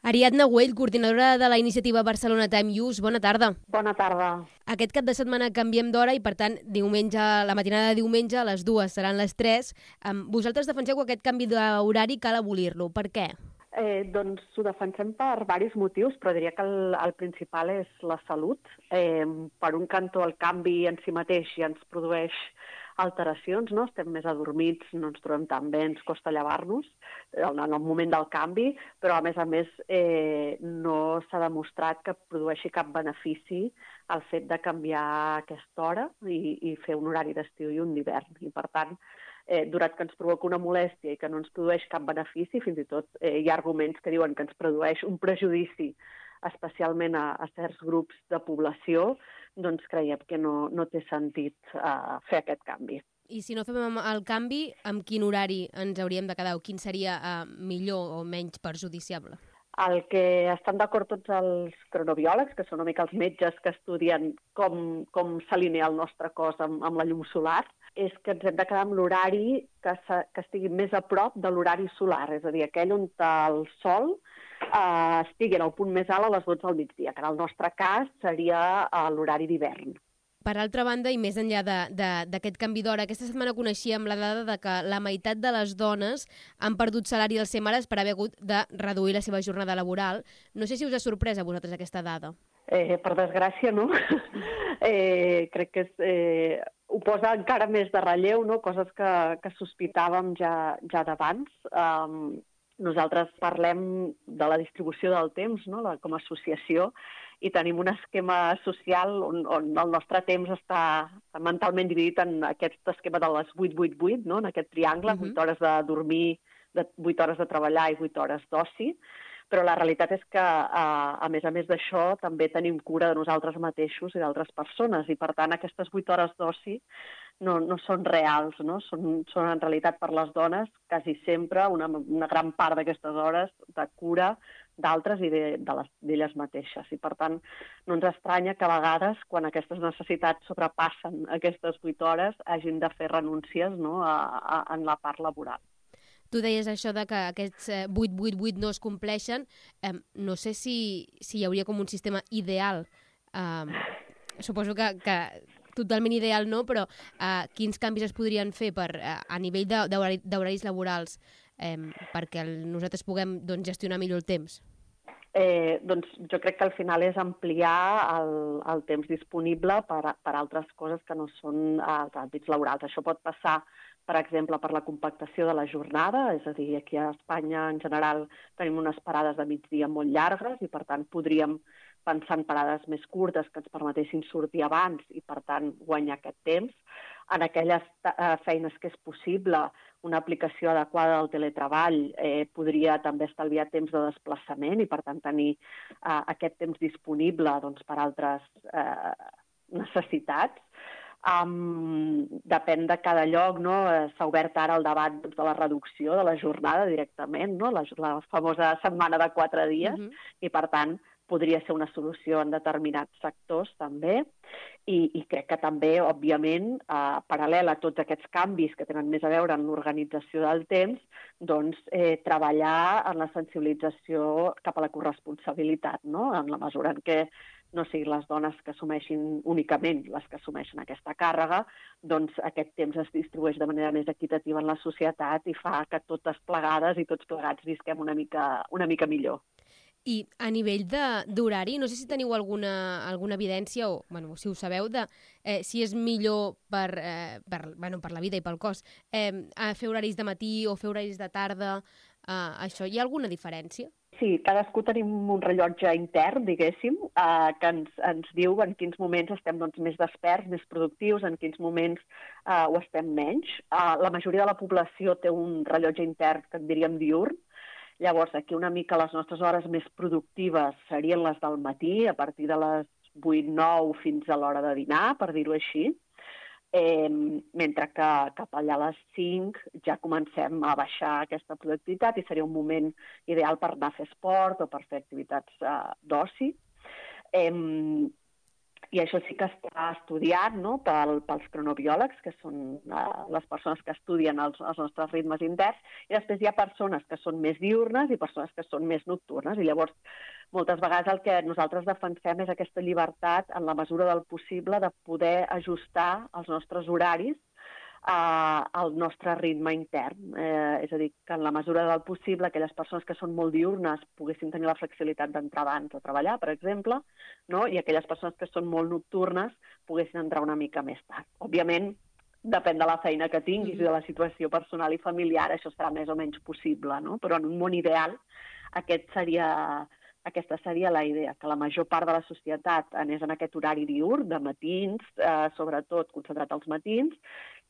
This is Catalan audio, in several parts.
Ariadna Güell, coordinadora de la iniciativa Barcelona Time Use, bona tarda. Bona tarda. Aquest cap de setmana canviem d'hora i, per tant, la matinada de diumenge a les 2 seran les 3. Vosaltres defenseu que aquest canvi d'horari cal abolir-lo. Per què? Doncs ho defensem per diversos motius, però diria que el principal és la salut. Per un cantó, el canvi en si mateix ja ens produeix alteracions, no? Estem més adormits, no ens trobem tan bé, ens costa llevar-nos en el moment del canvi, però a més no s'ha demostrat que produeixi cap benefici el fet de canviar aquesta hora i fer un horari d'estiu i un d'hivern. I per tant, donat que ens provoca una molèstia i que no ens produeix cap benefici, fins i tot hi ha arguments que diuen que ens produeix un prejudici, especialment a certs grups de població, doncs creiem que no té sentit fer aquest canvi. I si no fem el canvi, amb quin horari ens hauríem de quedar o quin seria millor o menys perjudiciable? El que estan d'acord tots els cronobiòlegs, que són una mica els metges que estudien com s'alinea el nostre cos amb la llum solar, és que ens hem de quedar amb l'horari que estigui més a prop de l'horari solar, és a dir, aquell on el sol estigui en el punt més alt a les 12 del migdia, que en el nostre cas seria l'horari d'hivern. Per altra banda, i més enllà d'aquest canvi d'hora, aquesta setmana coneixíem la dada de que la meitat de les dones han perdut salari dels mares per haver hagut de reduir la seva jornada laboral. No sé si us ha sorprès a vosaltres aquesta dada. Per desgràcia, no? Crec que ho posa encara més de relleu, no? Coses que sospitàvem ja d'abans. Nosaltres parlem de la distribució del temps, no? Com a associació, i tenim un esquema social on el nostre temps està mentalment dividit en aquest esquema de les 8-8-8, no? En aquest triangle, 8 hores de dormir, 8 hores de treballar i 8 hores d'oci. Però la realitat és que, a més d'això, també tenim cura de nosaltres mateixos i d'altres persones, i per tant aquestes 8 hores d'oci no són reals, no? Són en realitat per les dones quasi sempre una gran part d'aquestes hores de cura d'altres i d'elles mateixes. I per tant no ens estranya que a vegades, quan aquestes necessitats sobrepassen aquestes 8 hores, hagin de fer renúncies, no? En la part laboral. Tu deies això de que aquests 8-8-8 no es compleixen. No sé si hi hauria com un sistema ideal. Suposo que totalment ideal no, però quins canvis es podrien fer a nivell d'horaris laborals perquè nosaltres puguem gestionar millor el temps? Doncs jo crec que al final és ampliar el temps disponible per altres coses que no són els àmbits laborals. Això pot passar, per exemple, per la compactació de la jornada, és a dir, aquí a Espanya en general tenim unes parades de migdia molt llargues i per tant podríem pensar en parades més curtes que ens permetessin sortir abans i per tant guanyar aquest temps. En aquelles feines que és possible, una aplicació adequada del teletreball podria també estalviar temps de desplaçament i per tant tenir aquest temps disponible per altres necessitats. Depèn de cada lloc, no? S'ha obert ara el debat de la reducció de la jornada directament, no? La famosa setmana de 4 dies, i per tant podria ser una solució en determinats sectors també, i crec que també, òbviament, paral·lel a tots aquests canvis que tenen més a veure amb l'organització del temps, doncs treballar en la sensibilització cap a la corresponsabilitat, no? En la mesura en què no siguin les dones que assumeixin únicament les que assumeixen aquesta càrrega, doncs aquest temps es distribueix de manera més equitativa en la societat i fa que totes plegades i tots plegats visquem una mica millor. I a nivell d'horari, no sé si teniu alguna evidència, o si ho sabeu, de si és millor per la vida i pel cos fer horaris de matí o fer horaris de tarda. Això, hi ha alguna diferència? Sí, cadascú tenim un rellotge intern, diguéssim, que ens diu en quins moments estem més desperts, més productius, en quins moments ho estem menys. La majoria de la població té un rellotge intern que en diríem diürn. Llavors, aquí una mica les nostres hores més productives serien les del matí, a partir de les 8-9 fins a l'hora de dinar, per dir-ho així, mentre que cap allà a les 5 ja comencem a baixar aquesta productivitat i seria un moment ideal per anar a fer esport o per fer activitats d'oci. I això sí que està estudiat, no?, pels cronobiòlegs, que són les persones que estudien els nostres ritmes interns, i després hi ha persones que són més diürnes i persones que són més nocturnes. I llavors, moltes vegades el que nosaltres defensem és aquesta llibertat, en la mesura del possible, de poder ajustar els nostres horaris al nostre ritme intern. És a dir, que en la mesura del possible aquelles persones que són molt diurnes poguessin tenir la flexibilitat d'entrar abans a treballar, per exemple, no? I aquelles persones que són molt nocturnes poguessin entrar una mica més tard. Òbviament, depèn de la feina que tinguis i de la situació personal i familiar, això serà més o menys possible, no? Però en un món ideal aquesta seria la idea, que la major part de la societat anés en aquest horari diürn, de matins, sobretot concentrat als matins,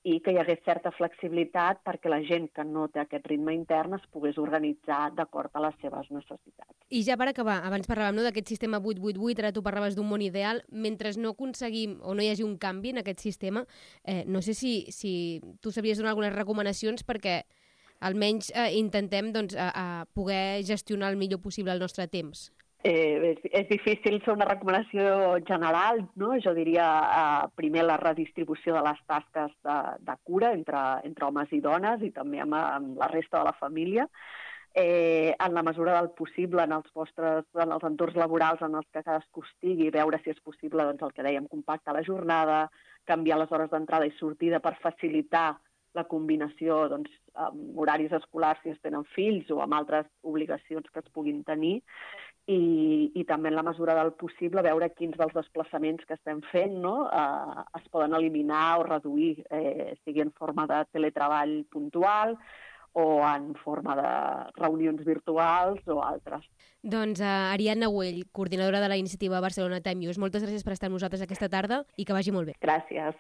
i que hi hagués certa flexibilitat perquè la gent que no té aquest ritme intern es pogués organitzar d'acord a les seves necessitats. I ja per acabar, abans parlàvem d'aquest sistema 8-8-8, ara tu parlaves d'un món ideal. Mentre no aconseguim o no hi hagi un canvi en aquest sistema, no sé si tu sabries donar algunes recomanacions perquè almenys intentem poder gestionar el millor possible el nostre temps. És difícil fer una recomanació general, no? Jo diria primer la redistribució de les tasques de cura entre homes i dones i també amb la resta de la família. En la mesura del possible, en els entorns laborals en els que cadascú estigui, veure si és possible, doncs, el que dèiem, compactar la jornada, canviar les hores d'entrada i sortida per facilitar la combinació amb horaris escolars si es tenen fills o amb altres obligacions que es puguin tenir, i també en la mesura del possible veure quins dels desplaçaments que estem fent, no?, es poden eliminar o reduir, sigui en forma de teletreball puntual o en forma de reunions virtuals o altres. Doncs Ariadna Güell, coordinadora de la iniciativa Barcelona Time Use, moltes gràcies per estar amb nosaltres aquesta tarda i que vagi molt bé. Gràcies.